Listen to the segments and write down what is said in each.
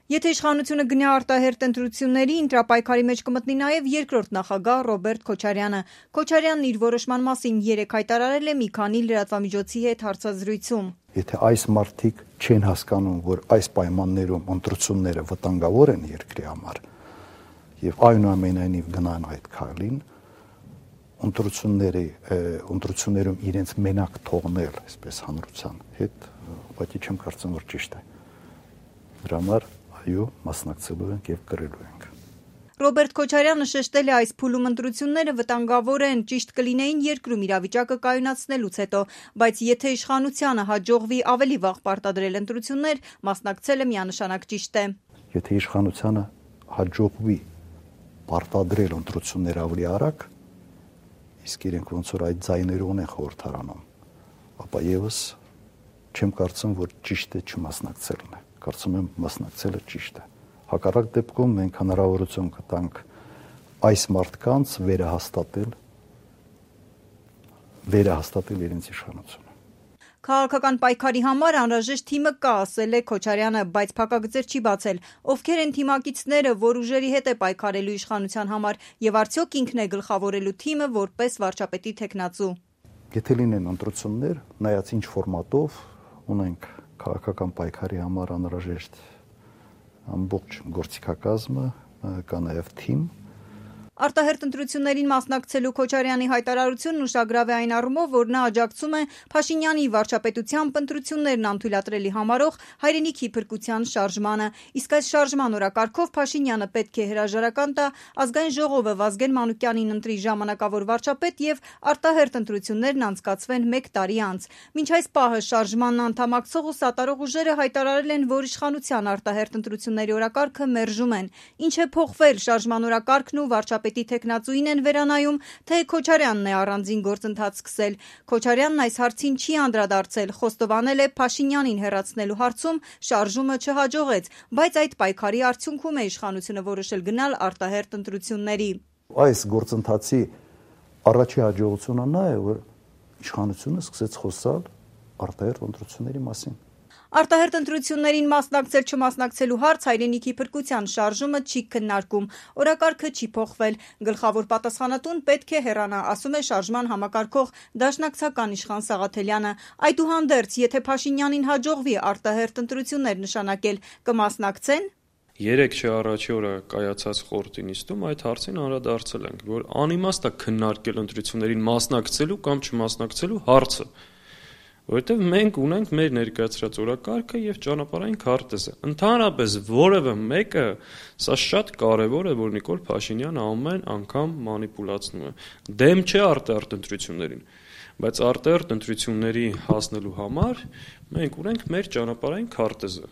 Եթե իշխանությունը գնա արտահերթ ընտրությունների, ընտրապայքարի մեջ կմտնի նաև երկրորդ նախագահ Ռոբերտ Քոչարյանը։ Քոչարյանն իր որոշման մասին երեկ հայտարարել է մի քանի լրատվամիջոցի հետ հարցազրույցում։ Եթե այս մարդիկ չեն հասկանում, որ այս պայմաններում ընտրությունները վտանգավոր են երկրի համար, եւ այնուամենայնիվ գնան այդ քայլին, ընտրություններում իրենց մենակ թողնել, այսպես հանրության հետ, ուղղակի չեմ կարծում, որ ճիշտ է։ Դրա համար այո, մասնակցելու ենք եւ կրելու ենք։ Ռոբերտ Քոչարյանը շեշտել է, այս փուլում ընտրությունները վտանգավոր են, ճիշտ կլինեին երկրում իրավիճակը կայունացնելուց հետո, բայց եթե իշխանությանը հաջողվի ավելի վաղ պարտադրել ընտրություններ, մասնակցելը միանշանակ ճիշտ է։ Եթե իշխանությանը հաջողվի պարտադրել ընտրություններ ավելի արագ, իսկ իրենք ոնց որ այդ ձայները ունեն խորհրդարանում, ապա եւս չեմ կարծում, որ ճիշտ է չմասնակցելն է։ Կարծում եմ մասնակցելը ճիշտ է։ Հակառակ դեպքում մենք հնարավորություն կտանք այս մարդկանց վերահաստատել իրենց իշխանությունը։ Քաղաքական պայքարի համար անհրաժեշտ թիմը կա, ասել է Քոչարյանը, բայց փակագծեր չի բացել։ Ովքեր են թիմակիցները, որ ուժերի հետ է պայքարելու իշխանության համար, եւ արդյոք ինքն է գլխավորելու թիմը որպես վարչապետի թեկնածու։ Եթե լինեն ընտրություններ, նայած ինչ ֆորմատով, ունենք քաղաքական պայքարի համար անհրաժեշտ ամբողջ գործիքակազմը, կա նաև թիմ։ Արտահերթ ընտրություններին մասնակցելու Քոչարյանի հայտարարությունն ուշագրավ է այն առումով, որ նա աջակցում է Փաշինյանի վարչապետությամբ ընտրություններն անթույլատրելի համարող հայրենիքի փրկության շարժմանը։ Իսկ այս շարժման օրակարգով Փաշինյանը պետք է հրաժարական տա, ազգային ժողովը Վազգեն Մանուկյանին ընտրի ժամանակավոր վարչապետ եւ արտահերթ ընտրություններն անցկացվեն 1 տարի անց։ Մինչ այս պահը շարժմանն անդամակցող ու սատարող ուժերը հայտարարել են, որ իշխանության արտահերթ ընտրությունների օրակարգը մերժում են։ Ինչ է փոխվել շարժման օրակարգն ու վարչապետի թեկնածուին են վերանայում, թե Քոչարյանն է առանձին գործընթաց սկսել։ Քոչարյանն այս հարցին չի անդրադարձել, խոստովանել է Փաշինյանին հեռացնելու հարցում շարժումը չհաջողեց, բայց այդ պայքարի արդյունքում է իշխանությունը որոշել գնալ արտահերթ ընտրությունների։ Այս գործընթացի առաջի հաջողությունը նա է, որ իշխանությունը սկսեց խոսալ արտահերթ ընտրությունների մասին։ Արտահերթ ընտրություններին մասնակցել-չմասնակցելու հարց հայրենիքի փրկության շարժումը չի քննարկում, օրակարգը չի փոխվել, գլխավոր պատասխանատուն պետք է հեռանա, ասում է շարժման համակարգող դաշնակցական Իշխան Սաղաթելյանը։ Այդուհանդերձ, եթե Փաշինյանին հաջողվի արտահերթ ընտրություններ նշանակել, կմասնակցեն։ Երեկ առաջի օրը կայացած խորհրդի նիստում այդ հարցին անդրադարձել ենք, որ անիմաստ է քննարկել ընտրություններին մասնակցելու կամ չմասնակցելու հարցը։ Որովհետև մենք ունենք մեր ներկայացրած օրակարգը եւ ճանապարհային քարտեզը։ Ընդհանրապես որևէ մեկը սա շատ կարեւոր է, որ Նիկոլ Փաշինյանը ամեն անգամ մանիպուլացնում է։ Դեմ չէ արտահերթ ընտրություններին, բայց արտահերթ ընտրությունների հասնելու համար մենք ունենք մեր ճանապարհային քարտեզը։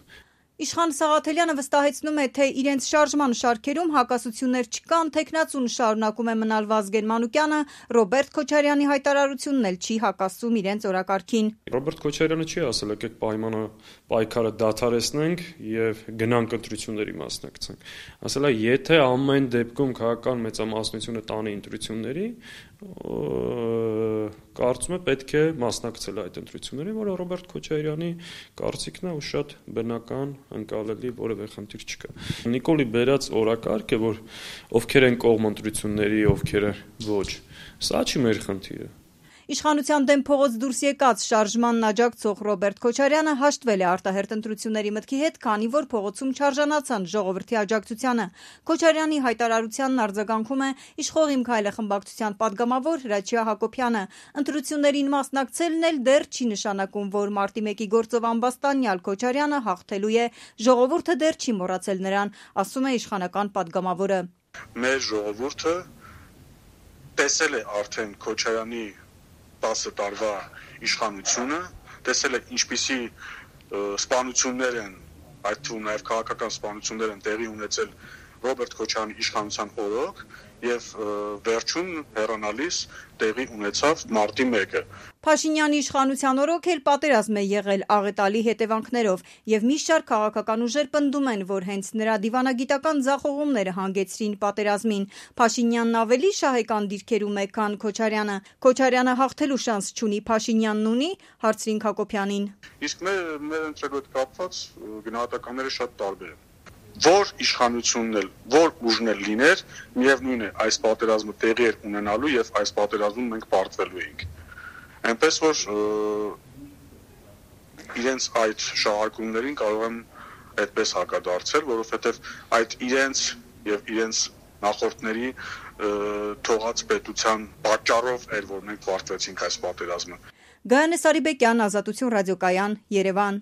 Իշխան Սաղաթելյանը վստահեցնում է, թե իրենց շարժման շարքերում հակասություններ չկան, թեկնածուն շարունակում է մնալ Վազգեն Մանուկյանը, Ռոբերտ Քոչարյանի հայտարարությունն էլ չի հակասում իրենց օրակարգին։ Ռոբերտ Քոչարյանը չի ասել, եկեք պայքարը դադարեցնենք եւ գնանք ընտրությունների մասնակցենք։ Ասել է, եթե ամեն դեպքում քաղաքական մեծամասնությունը տանի ընտրությունների, կարծում եմ պետք է մասնակցել այդ ընտրություններին, որը Ռոբերտ Քոչարյանի կարծիքն է ու շատ բնական, ընկալելի, որևէ խնդիր չկա։ Նիկոլի բերած օրակարգը, որ ովքեր են կողմ ընտրությունների, ովքեր ոչ, սա չի մեր խնդիրը։ Իշխանության դեմ փողոց դուրս եկած շարժմանն աջակցող Ռոբերտ Քոչարյանը հաշտվել է արտահերթ ընտրությունների մտքի հետ, քանի որ փողոցում չարժանացան ժողովրդի աջակցությանը։ Քոչարյանի հայտարարությանն արձագանքում է Իշխող Իմ Քայլը խմբակցության падգամավոր Հրաչյա Հակոբյանը։ Ընտրություններին մասնակցելն էլ դեռ չի նշանակում, որ մարտի 1-ի գործով ամբաստանյալ Քոչարյանը հաղթելու է։ Ժողովուրդը դեռ չի մոռացել նրան, ասում է իշխանական падգամավորը։ Մեր ժողովուրդը տեսել է արդեն Քոչարյանի 10 տարվա իշխանությունը, տեսել է ինչպիսի սպանություններ են, այդ թվում նաև քաղաքական սպանություններ են տեղի ունեցել Ռոբերտ Քոչարյանի իշխանության օրոք եւ վերջում հեռանալիս տեղի ունեցավ մարտի 1-ը։ Փաշինյանի իշխանության օրոք էլ պատերազմ է եղել աղետալի հետևանքներով եւ մի շարք քաղաքական ուժեր պնդում են, որ հենց նրա դիվանագիտական ձախողումները հանգեցրին պատերազմին։ Փաշինյանն ավելի շահեկան դիրքերում է, քան Քոչարյանը։ Քոչարյանը հաղթելու շանս չունի, Փաշինյանն ունի, հարցրին Հակոբյանին։ Իսկ մեր ընտրելու հետ կապված գնահատականները շատ տարբեր են։ որ իշխանությունն էլ, որ ուժն էլ լիներ, միևնույն է, այս պատերազմը տեղի էր ունենալու եւ այս պատերազմում մենք պարտվելու էինք։ Այնպես որ իրենց այդ շահարկումներին կարող եմ այդպես հակադարձել, որովհետեւ այդ իրենց եւ իրենց նախորդների թողած պետության պատճառով էր, որ մենք պարտվեցինք այս պատերազմը։ Գայանե Սարիբեկյան, Ազատություն ռադիոկայան, Երևան։